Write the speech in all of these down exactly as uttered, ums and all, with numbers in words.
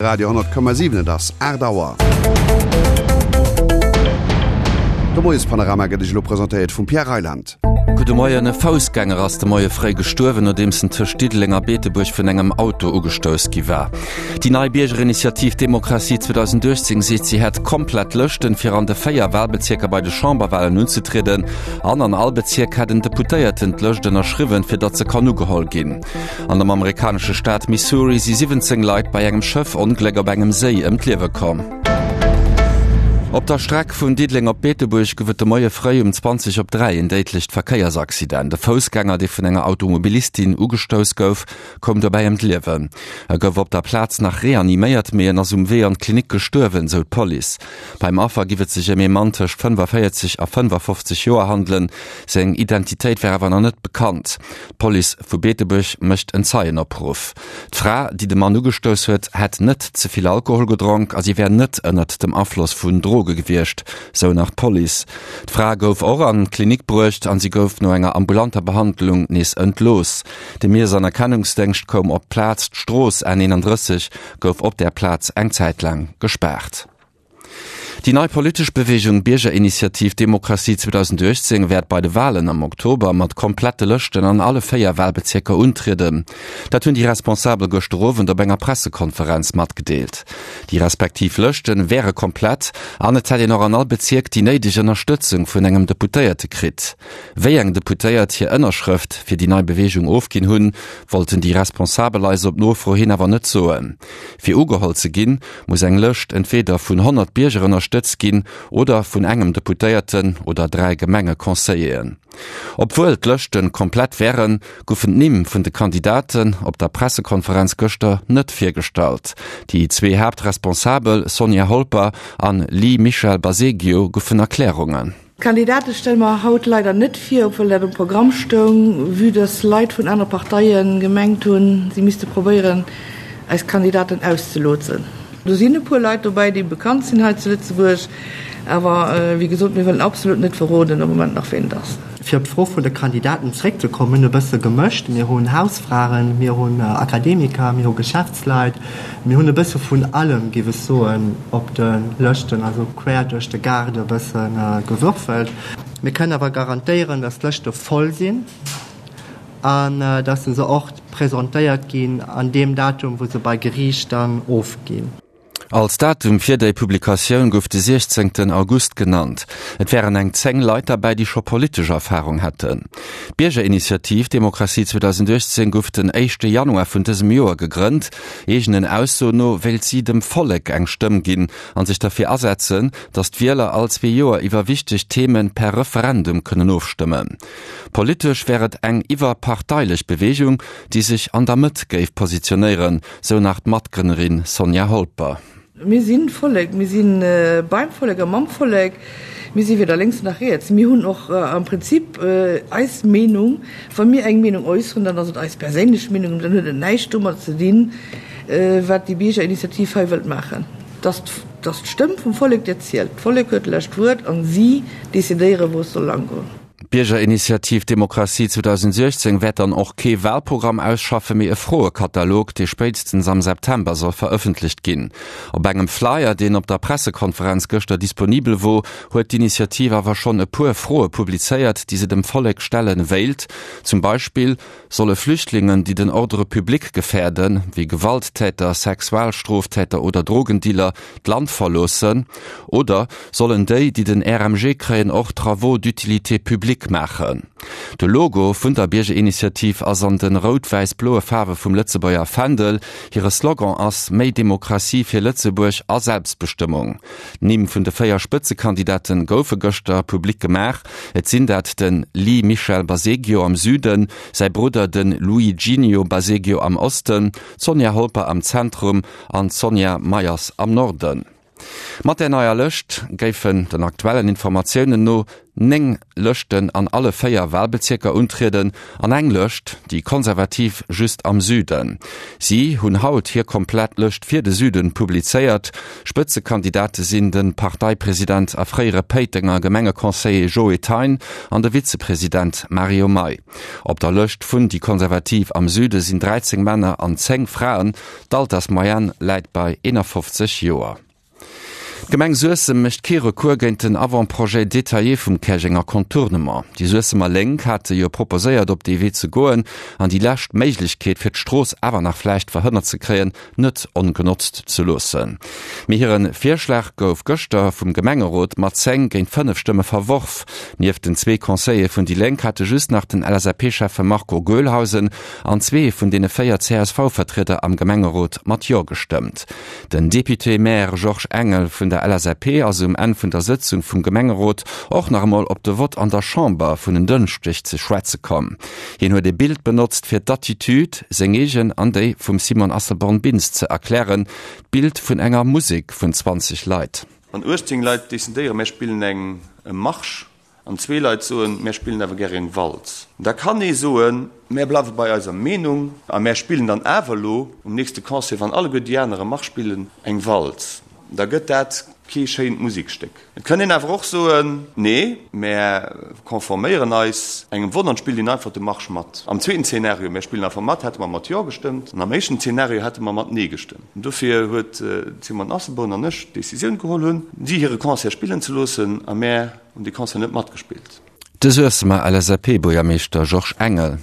Radio honnert Komma siwen Et ass aacht Auer. De Moiespanorama gëtt Iech elo presentéiert vum Pierre Reyland. Gudde Moien, E Foussgänger ass de Moie fréi gestuerwen, nodeems en tëscht Diddeleng a Beetebuerg vun engem Auto ugestouss gi war. Déi nei Biergerinitiativ Demokratie zweedausendachtzéng seet, si hätt komplett Lëschten, fir an de véier Walbezierker bei de Chamberwalen unzetrieden. An an all Bezierk hätt en Deputéierten d'Lëscht ënnerschriwwen, fir datt se kann ugeholl ginn. An dem amerikanesche Staat Missouri si siwwenzéng Leit bei engem Schëffongléck op engem Séi ëm d'Liewe komm. Op der Streck vun Diddeleng op Beetebuerg gouf et de Moie fréi um zwanzeg op dräi en déidlecht Verkéiersaccident. E Foussgänger, dee vun enger Automobilistin ugestouss gouf, koum dobäi ëm d'Liewen. E gouf op der Plaz nach reaniméiert, mee en ass um Wee an d'Klinik gestuerwen, sou d'Police. Beim Affer giff et sech ëm ee Mann tëscht fënnefavéierzeg a fënnefafofzeg Joer handelen. Seng Identitéit wär awer nach net bekannt. D'Police vu Beetebuerg mécht en Zeienopruff. D'Fra, déi de Mann ugestouss huet, hätt net ze vill Alkohol gedronk a si wär net ënnert dem Afloss vun Droge gewiescht, sou nach d'Police. D'Fra gouf och an d'Klinik bruecht an si gouf no enger ambulanter Behandlung nees entlooss. De Miess an Erkennungsdéngscht koum op d'Plaz. D'Strooss N eenandrësseg gouf op där Plaz eng Zäit laang gespaart. Déi nei politesch Beweegung Biergerinitiativ Demokratie zweedausendachtzéng wäert bei de Walen am Oktober mat komplette Lëschten an alle véier Walbezierker untrieden. Dat hunn déi Responsabel gëschter Owend op enger Pressekonferenz matgedeelt. Déi respektiv Lëschte wäre komplett an et hätt een och an all Bezierk déi néideg Ënnerstëtzung vun engem Deputéierte kritt. Wéi eng Deputéiert hir Ënnerschrëft fir déi nei Beweegung ofginn hunn, wollten déi Responsabel eis op Nofro hin awer net soen. Fir ugeholl ze ginn, muss eng Lëscht entweeder vun honnert Bierger ënnerstëtzt ginn oder vun engem Deputéierten oder dräi Gemengeconseilleren. Obwuel d'Lëschte komplett wären, goufen d'Nimm vun de Kandidaten op der Pressekonferenz gëschter net virgestallt. Déi zwee Haaptresponsabel Sonja Holper an Lee Michel Baseggio goufen Erklärungen. D'Kandidate stelle mer haut leider net vir, obwuel dat um Programm stoung, vue dass Leit vun anere Parteie gemengt hunn, si misste probéieren, eis Kandidaten auszelotsen. Do sinn e puer Leit dobäi, déi bekannt sinn hei zu Lëtzebuerg, awer wéi gesot, mir wëllen absolut net verroden am Moment nach, ween et ass. Fir op d'Fro vun de Kandidaten zréckzekommen, e bësse gemëscht, Mir hunn Hausfraen, mir hunn Akademiker, mir hu Geschäftsleit, mir hunn e bësse vun allem, géif ech soen, op de Lëschten, also quer duerch de Gaart e bësse gewürfelt. Mir kënnen awer garantéieren, dass d'Lëschte voll sinn an dass se och presentéiert ginn an deem Datum, wou se bei Geriicht dann ofginn. Als Datum fir déi Publikatioun gouf de siechzéngten August genannt. Et wären eng zéng Leit derbäi, déi scho politesch Erfarung hätten. D'Biergerinitiativ Demokratie zweedausendachtzéng gouf den éischte Januar vun dësem Joer gegrënnt. Eegenen Aussoen no wéilt si dem Vollek eng Stëmm ginn a sech derfir asetzen, datt d'Wieler all zwee Joer iwwer wichteg Theme per Referendum kënnen ofstëmmen. Politesch wär et eng iwwerparteilech Beweegung, déi sech an der Mëtt géif positionéieren, sou nach d'Matgrënnerin Sonja Holper. Mir si Vollek, mir si beim Vollek a mam Vollek. Mir si weder lénks nach riets. Mir hunn och am Prinzip eis Meenung. Wa mir eng Meenung äusseren, dann ass et eis perséinlech Meenung, dann huet et näischt domat ze dinn, wat déi Biergerinitiativ hei wëllt maachen. Et ass d'Stëmm vum Vollek, déi zielt. D'Vollek huet d'lescht Wuert a si decidéieren, wou et soll langgoen. D'Biergerinitiativ Demokratie zweedausendsiechzéng wäert dann och kee Walprogramm ausschaffen, mee e Froekatalog, dee spéitstens am September soll verëffentlecht ginn. Op engem Flyer, deen op der Pressekonferenz gëschter disponibel wor, huet d'Initiativ awer schonn e puer Froe publizéiert, déi se dem Vollek stelle wéilt. Zum Beispill, Solle Flüchtlingen, déi den Ordre public gefäerden, wéi Gewalttäter, Sexualstroftäter oder Drogendealer, d'Land verloossen? Oder sollen déi, déi den R M G kréien, och Travaux d'utilité publique maachen? De Logo vun der Biergerinitiativ ass an de rout-wäiss-bloe Faarwe vum Lëtzebuerger Fändel. Hire Slogan ass Méi Demokratie fir Lëtzebuerg a Selbstbestëmmung. D'Nimm vun de véier Spëtzekandidate goufe gëschter public gemaach. Et sinn dat de Lee Michel Baseggio am Süden, säi Brudder de Luiginio Baseggio am Osten, d'Sonja Holper am Zentrum an d'Sonja Meyers am Norden. Mat der neier Lëscht géifen den aktuellen Informatiounen no néng Lëschten an alle véier Walbezierker untrieden an eng Lëscht, déi Konservativ, just am Süden. Si hunn haut hir komplett Lëscht fir de Süden publizéiert. Spëtzekandidate sinn de Parteipresident a fréiere Péitenger Gemengeconseiller Joe Thein an de Vizepresident Mario May. Op der Lëscht vun déi Konservativ am Süde sinn dräizéng Männer an zéng Fraen. D'Altersmoyenne läit bei eenafofzeg Joer. D'Gemeng Suessem mécht kee Recours géint den Avant-projet détaillé vum Käerjenger Contournement. Déi Suessemer Lénk hate jo proposéiert op dee Wee ze goen an déi lescht Méiglechkeet fir d'Strooss awer nach vläicht verhënnert ze kréien, net ongenotzt ze loossen. Mee hire Virschlag gouf gëschter vum Gemengerot mat zéng géint fënnef Stëmme verworf. Nieft den zwee Conseillere vun déi Lénk hate just nach den L S A P-Schäffe Marco Goelhausen an zwee vun deene véier C S V-Vertrieder am Gemengerot mat Jo gestëmmt. Den Député-Maire Georges Engel vun der L S A P ass um Enn vun der Sëtzung vum Gemengerot och nach emol op de Vott an der Chamber vun en Dënschdeg ze schwätze komm. Hien huet e Bild benotzt fir d'Attitude, seng eegen an déi vum Simone Asselborn-Bintz ze erklären, d'Bild vun enger Musek vun zwanzeg Leit. Wann uechtzéng Leit decidéieren, mär spillen eng Marsch, an zwee Leit soen, mär spillen awer gär eng Walz, da kann ee soen, mär bleiwe bei eiser Meenung a mär spillen dann awer elo um nächste Concert, wann alleguer déi aner e Marsch spillen, eng Walz. Da gëtt dat kee schéint Musekstéck. Et kann een awer och soen, Nee, mär konforméieren eis engem Vott an spillen einfach de Marsch mat. Am zweeten Zeenario, mär spillen einfach mat, hätte mer mat Jo gestëmmt an am éischten Zeenario hätte mer mat Nee gestëmmt. An dofir huet d'Simone Asselborn an ech d'Decisioun geholl hunn, si hire Concert spillen ze loossen a mär hunn dee Concert net matgespillt. De Suessemer L S A P-Buergermeeschter Georges Engel.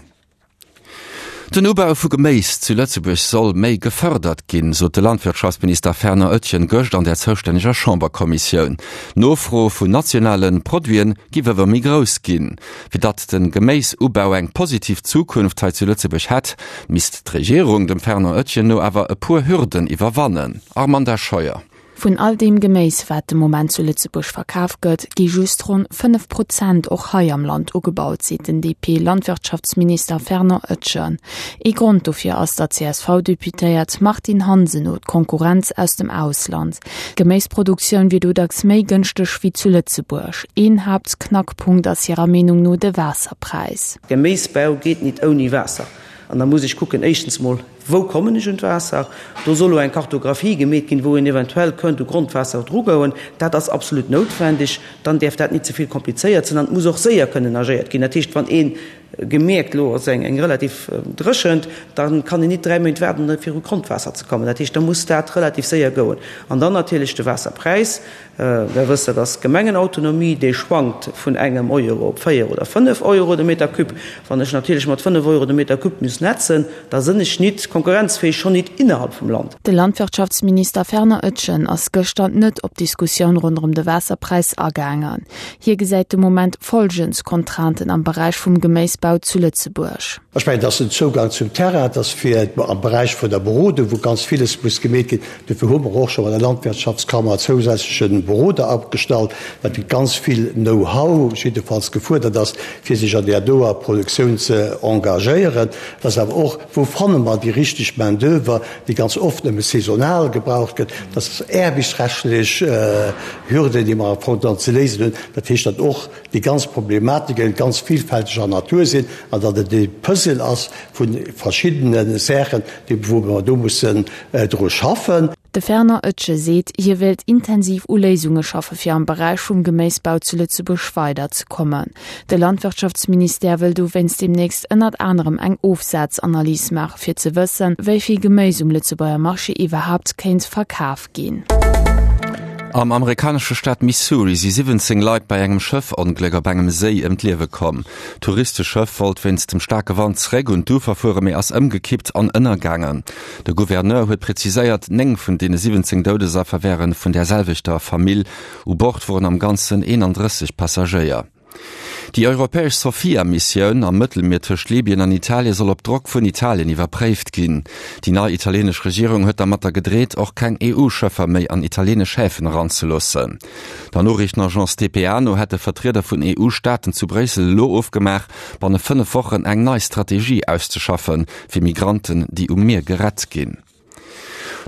Den Ubau vu Geméis zu Lëtzebuerg soll méi gefërdert ginn, sot de Landwirtschaftsminister Fernand Etgen gëscht an der zoustänneger Chamberkommissioun. D'Nofro vun nationale Produiten giff ëmmer méi grouss ginn. Fir datt de Geméisubau eng positiv Zukunft hei zu Lëtzebuerg hätt, misst d'Regierung dem Fernand Etgen no awer e puer Hürden iwwerwannen. Armanda Scheuer. Vun all deem Geméis, wat de Moment zu Lëtzebuerg verkaf gëtt, gi just ronn fënnef Prozent och hei am Land ugebaut, seet den D P-Landwirtschaftsminister Fernand Etgen. Ee Grond dofir ass der C S V-Deputéiert Martine Hansen no d'Konkurrenz aus dem Ausland. D'Geméisproduktioun wier do dacks méi gënschteg wéi zu Lëtzebuerg. Een Haaptknackpunkt ass hirer Meenung no de Waasserpräis. Geméisbau geet nit ouni Waasser. An da muss ech kucken, éischtens mol, wou kommen ech un d'Waasser? Do soll elo eng Kartographie gemeet ginn, wou een eventuell kënnt u Grondwaasser drugoen. Dat ass absolut noutwendeg. Dann däerf dat nit ze vill komplizéiert sinn an et muss och séier kënnen agéiert ginn. Dat heescht, wann ee gemierkt, elo ass eng eng relativ Dréchent, da kann een nit dräi Méint waarden, fir u Grondwaasser ze kommen. Dat heescht, da muss dat relativ séier goen. An dann natierlech de Waasserpräis. Der wësst, dat ass Gemengenautonomie, dee schwankt vun engem Euro op véier oder fënnef Euro de Meter cube. Wann ech natierlech mat fënnef Euro de Meter cube muss netzen, da sinn ech nit konkurrenzfähig, schonn nit innerhalb vum Land. De Landwirtschaftsminister Fernand Etgen ass gëschter net op d'Diskussioun ronderëm de Waasserpräis agaangen. Hie gesäit de Moment folgend Contrainten am Beräich vum Geméisbau zu Lëtzebuerg. Ech mengen, dass den Zougang zum Terrain, dass fir am Beräich vun der Berodung, wou ganz villes muss gemeet ginn, dofir hu mer och scho bei der Landwirtschaftskammer zousätzleche Beroder agestallt, well ganz vill Know-how jiddefalls gefuerdert ass, fir sech an där doer Produktioun ze engagéieren. Dass awer och, wou fanne mer déi richteg Main-d'oeuvre, déi ganz oft nëmme saisonal gebraucht gëtt, dass aarbechtsrechtlech Hürden, déi mer am Fong dann ze léisen hunn. Dat heescht, datt och déi ganz Problematike ganz villfälteger Natur sinn an datt et e Puzzle ass vu verschiddene Saachen, déi wou mer do mussen dru schaffen. De Fernand Etgen seet, hie wéilt intensiv u Léisunge schaffe fir am Beräich vum Geméisbau zu Lëtzebuerg weider ze kommen. De Landwirtschaftsministère wëll dowéinst deemnächst ënnert anerem eng Ofsazanalys maache fir ze wëssen, wéi vill Geméis um Lëtzebuerger Marché iwwerhaapt kéint verkaf ginn. Am amerikanesche Staat Missouri si siwwenzéng Leit bei engem Schëffongléck op engem Séi ëm d'Liewe komm. D'Touristeschëff wollt wéinst dem staarke Wand zeréck un d'Ufer fueren, mee ass ëmgekippt an ënnergaangen. De Gouverneur huet preziséiert, néng vun deene siwwenzéng Doudesaffer wäre vun der selwechter Famill. U Bord woren am Ganzen eenandrësseg Passagéier. Déi europäesch Sophia-Missioun am Mëttelmier tëscht Libyen an Italie soll op Drock vun Italien iwwerpréift ginn. Déi nei italienesch Regierung huet dermatter gedreet, och keng E U-Schëffer méi an italienesch Häfen eranzeloossen. Der Noriichtenagence D P A no hätte Vertrieder vun E U-Staaten zu Bréissel elo ofgemaach, banne fënnef Wochen eng nei Strategie auszeschaffen, fir Migranten, déi um Mier gerett ginn.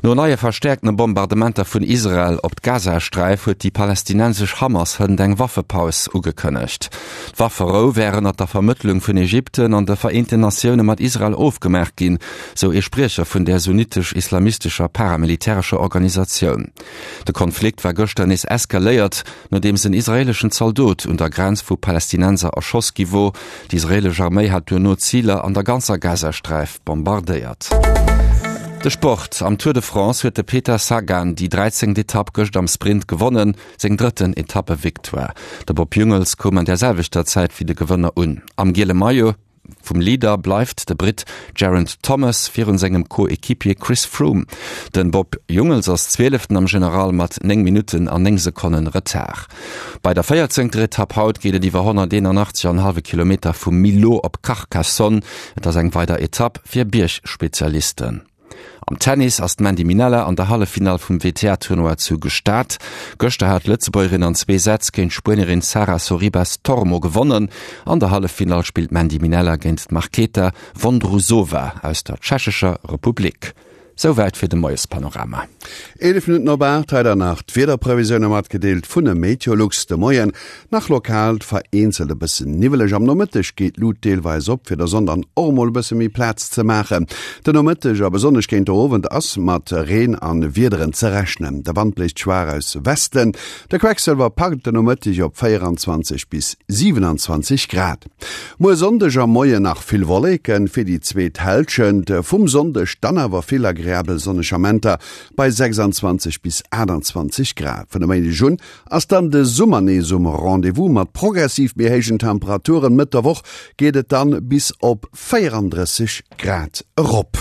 No neie verstäerkte Bombardementer vun Israel op d'Gazasträif huet déi palästinensesch Hamas hënt eng Waffepaus ugekënnegt. D'Wafferou wär ënnert der Vermëttlung vun Ägypten an de Vereenten Natioune mat Israel ofgemaach ginn, sou ee Spriecher vun där sunnitesch-islamistescher paramilitärescher Organisatioun. De Konflikt war gëschter nees eskaléiert, nodeems en israeeleschen Zaldot un der Grenz vu Palästinenser erschoss gi wor. D'israeelesch Arméi hat duerno Ziler an der ganzer Gazasträif bombardéiert. De Sport, Am Tour de France huet de Peter Sagan déi dräizéngt Etapp gëscht am Sprint gewonnen, seng drëtten Etappevictoire. De Bob Jungels koum an där selwechter Zäit wéi de Gewënner un. Am giele Maillot vum Leader bleift de Britt Geraint Thomas virun sengem Co-Equipier Chris Froome. Den Bob Jungels ass Zwieleften am General mat néng Minutten an néng Sekonnen Retard. Bei der véierzéngter Etapp haut geet et iwwer honnerteenanachtzeg an hallwe Kilometer vu Millau op Carcassonne. Et ass eng weider Etapp fir Biergspezialisten. Am Tennis ass d'Mandy Minella an der Halleffinall vum W T A-Tournoi zu Gstaad. Gëschter hat d'Lëtzebuergerin an zwee Sätz géint d'Spuenierin Sara Sorribes Tormo gewonnen. An der Halleffinall spillt d'Mandy Minella géint d'Marketa Vondrousova aus der Tschechescher Republik. Souwäit fir de Moiespanorama. Eelef Minutten op aacht, hei dann nach d'Wiederprevisioune matgedeelt vun de Meteolux. De Moien nach lokal vereenzelt e bëssen niwweleg, am Nomëtteg geet d'Lut deelweis op, fir der Sonn dann och emol e bësse méi Plaz ze maachen. Den Nomëtteg a besonnesch géint de Owend ass mat Reen a Wiederen ze rechnen. De Wand bléist schwaach aus Westen, de Quecksëlwer packt den Nomëtteg op véieranzwanzeg bis siewenanzwanzeg Grad. Muer Sonndeg am Moien nach vill Wolleken, fir déi zweet Hälschent vum Sonndeg dann awer vill agreabel sonneg Amenter bei sechsanzwanzeg bis aachtanzwanzeg Grad. Vun e Méindeg un ass dann de Summer nees um Rendez-vous mat progressiv méi héijen Temperaturen. Mëtt der Woch geet et dann bis op véierandrësseg Grad erop.